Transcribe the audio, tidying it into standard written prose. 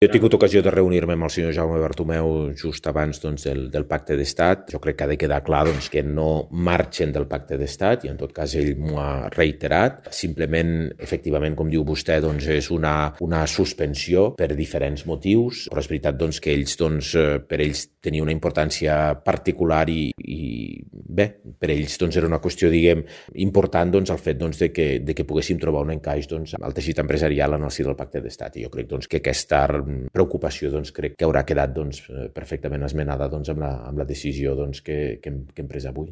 Jo he tingut ocasió de reunir-me amb el senyor Jaume Bartomeu just abans del pacte d'estat. Jo crec que ha de quedar clar que no marxen del pacte d'estat i en tot cas ell m'ho ha reiterat. Simplement, efectivament, com diu vostè, és una suspensió per diferents motius, però és veritat que ells, per ells tenia una importància particular i bé, per ells era una qüestió, important el fet de que poguéssim trobar un encaix al teixit empresarial en el si del pacte d'estat. I jo crec que aquesta preocupació crec que haurà quedat perfectament esmenada amb la decisió que hem pres avui.